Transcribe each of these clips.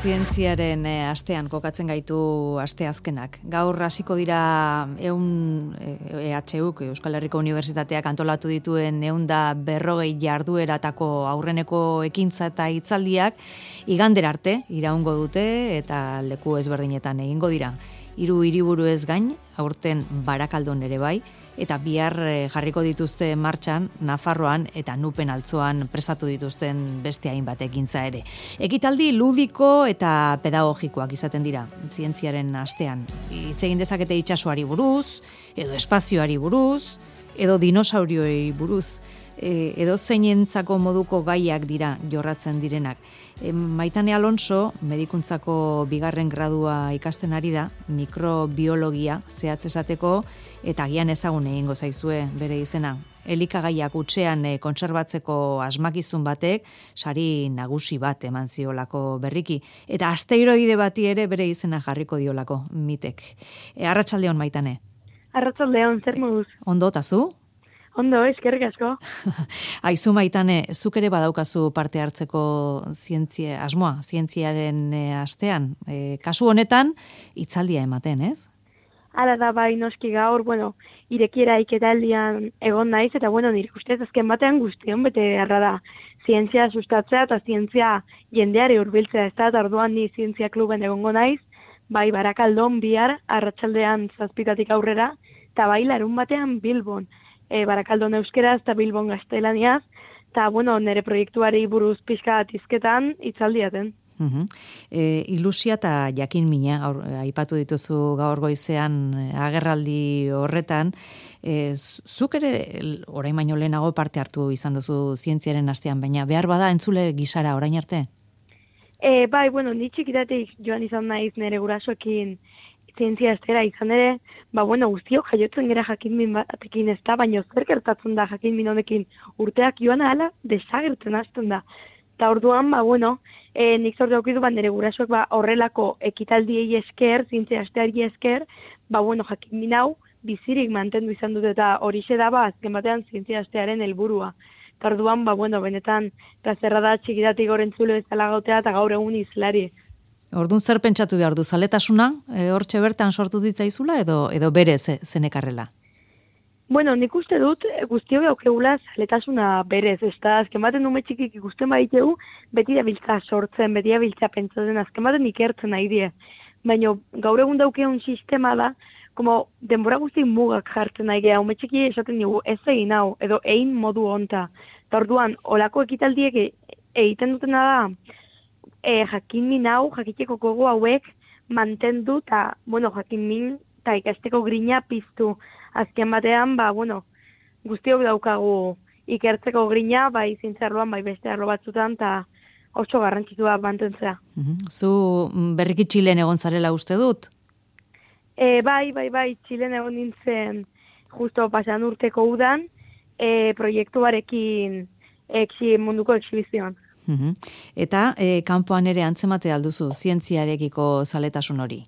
Zientziaren astean kokatzen gaitu asteazkenak. Gaur hasiko dira EHUk, Euskal Herriko Unibertsitateak antolatu dituen 140 jardueratako aurreneko ekintza eta hitzaldiak igandera arte iraungo dute eta leku ezberdinetan egingo dira. 3 hiriburu ez gain, aurten Barakaldon ere bai, eta bihar jarriko dituzte martxan Nafarroan eta Nupen altzoan prestatu dituzten beste hainbat ekintza ere. Ekitaldi ludiko eta pedagogikoak izaten dira zientziaren astean. Hitz egin dezakete itsasoari buruz, edo espazioari buruz, edo dinosaurioei buruz, edo zeinentzako moduko gaiak dira jorratzen direnak. Maitane Alonso, medikuntzako 2. gradua ikasten ari da, mikrobiologia zehatz esateko, eta agian ezagun egingo zaizue bere izena. Elikagaiak hutsean kontserbatzeko asmakizun batek sari nagusi bat eman ziolako berriki. Eta asteroide bati ere bere izena jarriko diolako mitek. Arratsaldeon Maitane. Arratsaldeon, zer moduz? Ondo, eta zu? Ondo, eskerrik asko. Aizu Maitane, zuk ere badaukazu parte hartzeko asmoa, zientziaren astean. Kasu honetan, hitzaldia ematen, ez? Hala da, bai, noski gaur, irekiera iketaldian egon naiz, eta nire ustez azken batean guztion bete harra da. Zientzia sustatzea eta zientzia jendeari hurbiltzea, ez da, eta orduan ni zientzia kluben egongo naiz, bai, Barakaldon bihar, arratsaldean 7 aurrera, eta bai, larun batean Bilbon. Barakaldon euskeraz eta Bilbon gaztelaniaz, eta, nire proiektuari buruz pixka atizketan hitzaldiaten. Ilusia eta jakin mina aipatu dituzu gaur goizean agerraldi horretan. Zuk ere orain baino lehenago parte hartu izan duzu zientziaren astean, baina behar bada entzule gisara orain arte? Bai, ni txikitatik joan izan naiz nire gurasoekin zientzia astera izan ere, guztiok jaiotzen gara jakinmin batekin ez da, baina zer gertatzen da jakinmin honekin urteak joan ahala desagertzen hasten da. Eta orduan, nik sortu aukidu nire gurasoek horrelako ekitaldiei esker, zientzia asteari esker, jakinmin hau bizirik mantendu izan dut eta horixe da azken batean zientzia astearen helburua. Eta orduan, benetan, plazerra da txikitatik gorentzule bezala gautea eta gaur egun izlari. Orduan zer pentsatu behar du, zaletasuna, hortxe bertan sortu zitzaizula edo bere zenekarrela? Nik uste dut guztiok daukegula zaletasuna berez, ez da, azken baten ume txikik ikusten baditegu, beti da biltza sortzen, beti da biltza pentsatzen, azken baten ikertzen nahi die. Baina gaur egun daukeun sistema da, denbora guzti mugak jartzen nahi geha, ume txiki esaten dugu ez egin hau, edo egin modu honta. Eta orduan, olako ekitaldiek egiten dutena da, jakinmin hau, jakiteko gogo hauek mantendu eta, jakinmin eta ikasteko grina piztu. Azken batean, guztiok daukagu ikertzeko grina, bai zientziarloan, bai beste arlo batzutan, eta oso garrantzitsua mantentzea. Zu berriki Txilen egon zarela uste dut? Bai, Txilen egon nintzen justo pasan urteko udan, proiektuarekin munduko exhibizioan. Eta kanpoan ere antzemate alduzu zientziarekiko zaletasun hori?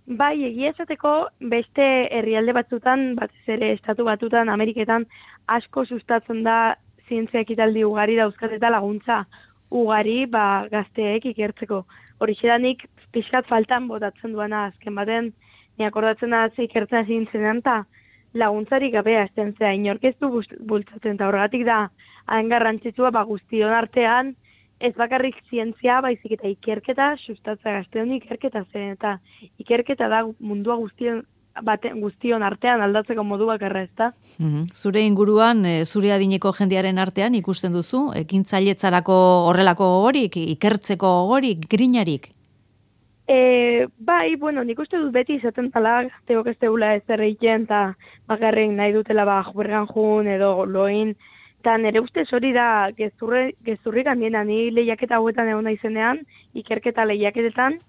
Bai, egia esateko beste herrialde batzutan, batez ere estatu batutan, Ameriketan asko sustatzen da zientzia ekitaldi ugari dauzkat eta laguntza ugari gazteek ikertzeko. Horixe da nik pixkat faltan botatzen duena azken baten, ni akordatzen da ikertzen zintzenean eta laguntzarik gabe azten zea, inorkeztu bultzatzen eta horregatik da hain garrantzitsua guztion artean, ez bakarrik zientzia, baizik eta ikerketa, sustatzea gazteon ikerketa zen, eta ikerketa da mundua guztion artean aldatzeko modu bakarra, ez da? Zure inguruan, zure adineko jendearen artean ikusten duzu, ekintzailetzarako horrelako gogorik, ikertzeko gogorik, grinarik? Bai, nik uste dut beti izaten tala gazteok ez tegula ez erreiten, eta bakarrik nahi dutela jubergan jun edo loin, eta nire ustez hori da gezurrik handiena, ni lehiaketa hauetan egon naizenean, ikerketa lehiaketetan,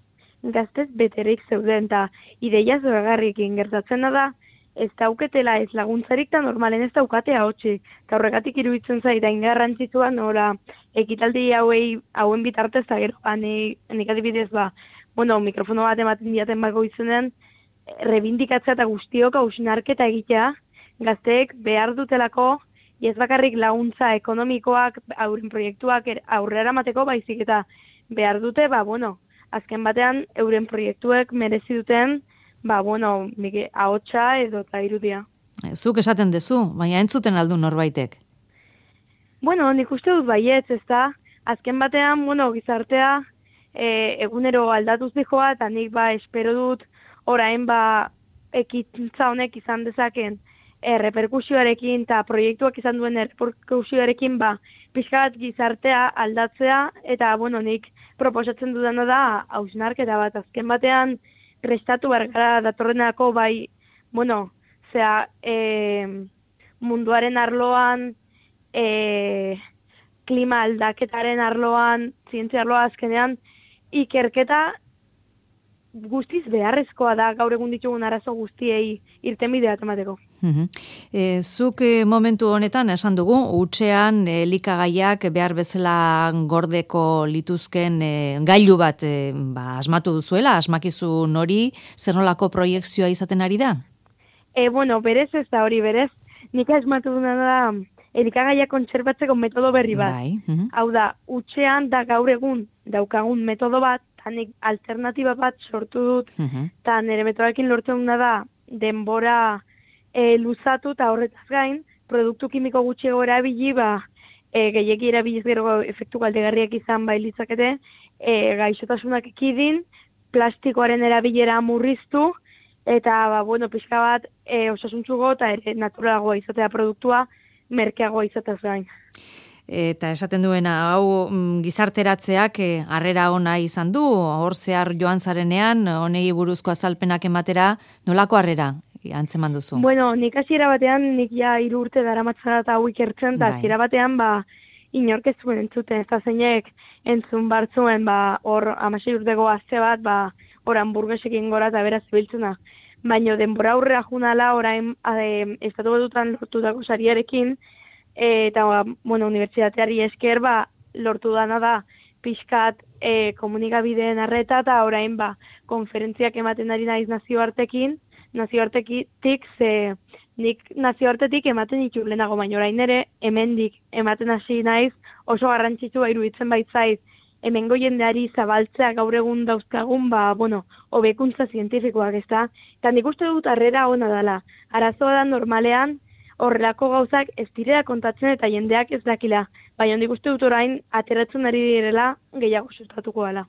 gaztez beterik zeuden, eta ideia zoragarrikin gertatzen da, ez dauketela ez laguntzarik eta normalen ez daukatea hotxik, eta horregatik iruditzen zait, hain garrantzitsua nora ekitaldi hauen bitartez, eta gero, nik adibidez mikrofono bat ematen diaten izenean, rebindikatzea eta guztiok hausnarketa egitea, gazteek behar dutelako, ez bakarrik laguntza ekonomikoak, aurren proiektuak aurrera mateko, baizik eta behar dute, azken batean euren proiektuek merezi duten, ahotsa edo eta irudia. Zuk esaten dezu, baina entzuten aldu norbaitek. Nik uste dut baietz, ez da, azken batean, gizartea egunero aldatuz dijoa, eta nik espero dut orain ekintza honek izan dezaken reperkusioarekin eta proiektuak izan duen reperkusioarekin pixka bat gizartea aldatzea, eta nik proposatzen dudana da hausnarketa bat azken batean prestatu behar gara datorrenako munduaren arloan, klima aldaketaren arloan, zientzia arloa azkenean, ikerketa guztiz beharrezkoa da gaur egun ditugun arazo guztiei irtenbidea emateko. Zuk momentu honetan esan dugu, hutsean elikagaiak behar bezala gordeko lituzken gailu bat asmatu duzuela, asmakizun hori, zer nolako proiekzioa izaten ari da? Berez ez da hori, berez. Nik asmatu duna da elikagaiak kontserbatzeko metodo berri bat. Hau da, hutsean da gaur egun daukagun metodo bat, eta nik alternatiba bat sortu dut, eta nire metodarekin lortzen duna da denbora luzatu eta horretaz gain, produktu kimiko gutxiago erabili, gehiegi erabiliz gero efektu kaltegarriak izan litzakete, gaixotasunak ekidin, plastikoaren erabilera murriztu, eta pixka bat osasuntzugo eta naturalagoa izatea produktua, merkeagoa izatez gain. Eta esaten duena, hau gizarteratzeak harrera ona izan du, hor zehar joan zarenean, honei buruzko azalpenak ematera, nolako harrera antzeman duzu? Nik hasiera batean, nik 3 urte daramatzara eta hau ikertzen, eta hasiera batean, inork ez zuen entzuten, ez da zeinek entzun bartzuen, hor 16 urteko gazte bat, hor hamburguesekin gora eta beraz zibiltzena. Baina denbora aurrera junala, orain estatu batutan lortutako sariarekin, eta unibertsitateari esker lortu dana da pixkat komunikabideen arreta, eta orain konferentziak ematen ari naiz nazioartetik, nik nazioartetik ematen ditu lehenago, baina orain ere hemendik ematen hasi naiz, oso garrantzitsua iruditzen baitzaiz, hemengo jendeari zabaltzea gaur egun dauzkagun, hobekuntza zientifikoak, ez da? Eta nik uste dut harrera ona dela. Arazoa da normalean, horrelako gauzak ez direla kontatzen eta jendeak ez dakila. Baina nik uste dut orain ateratzen ari direla gehiago sustatuko dela.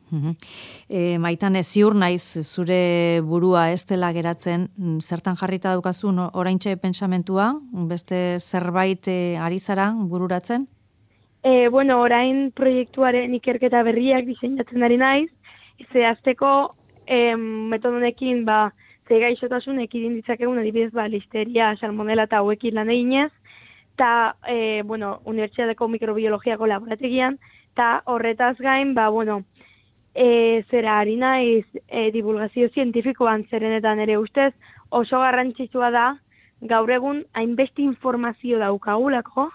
Maitane, ziur naiz zure burua ez dela geratzen, zertan jarrita daukazun oraintxe pentsamentua, beste zerbait ari zara bururatzen? Orain proiektuaren ikerketa berriak diseinatzen ari naiz, zehazteko metodonekin ze gaixotasun ekidin ditzakegun adibidez listeria, salmonela eta hauekin lan eginez, eta unibertsitateko mikrobiologiako laborategian, eta horretaz gain, zera ari naiz divulgazio zientifikoan zerenetan ere ustez, oso garrantzitsua da, gaur egun hainbeste informazio daukagulako,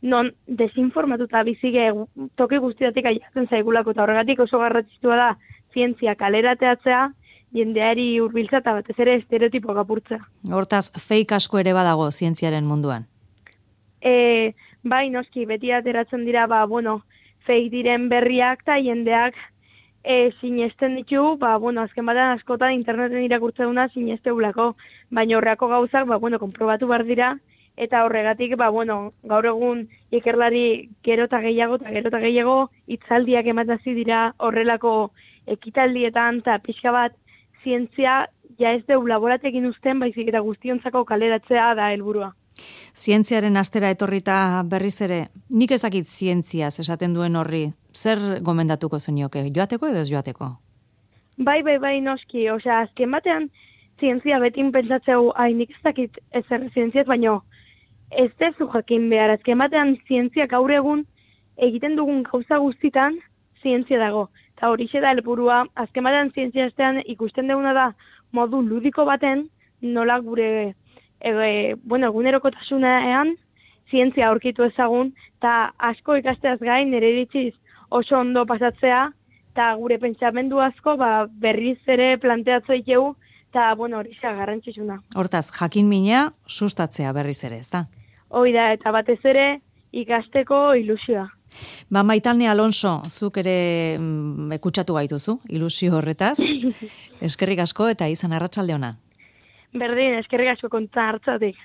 non desinformatuta bizige toki guztiatik aiatzen zaigulako, eta horregatik oso garrantzitsua da zientzia kalerateatzea, jendeari hurbiltza eta batez ere estereotipoak apurtzea. Hortaz, fake asko ere badago zientziaren munduan? Bai, noski, beti ateratzen dira, fake diren berriak eta jendeak sinesten ditu, azken batean askotan interneten irakurtzen duna sinesteulako, baina horreako gauzak, konprobatu behar dira, eta horregatik, gaur egun ikerlari gero eta gehiago hitzaldiak ematazi dira horrelako ekitaldietan, eta pixka bat zientzia ez deu laboratekin uzten, baizik eta guztiontzako kaleratzea da helburua. Zientziaren astera etorrita berriz ere, nik ezakit zientziaz esaten duen horri, zer gomendatuko zenioke, joateko edo ez joateko? Bai, noski, azken batean zientzia betin pentsatzeu, nik ez dakit ezer zientziaz, baina ez dezu jakin behar, azken batean zientzia gaur egun egiten dugun gauza guztitan zientzia dago. Eta horixe da helburua, azken batean zientzia estean ikusten duguna da modu ludiko baten, nola gure egunerokotasunean zientzia aurkitu ezagun, eta asko ikasteaz gain nire iritziz oso ondo pasatzea, eta gure pentsamendu asko berriz ere planteatzea ikegu, eta horixe garrantzitsuna. Hortaz, jakin mina sustatzea berriz ere, ezta? Hoi da, eta batez ere ikasteko ilusioa. Maitane Alonso, zuk ere kutsatu gaituzu, ilusio horretaz. Eskerrik asko eta izan arratsalde ona. Berdin, eskerrik asko konta hartzatik.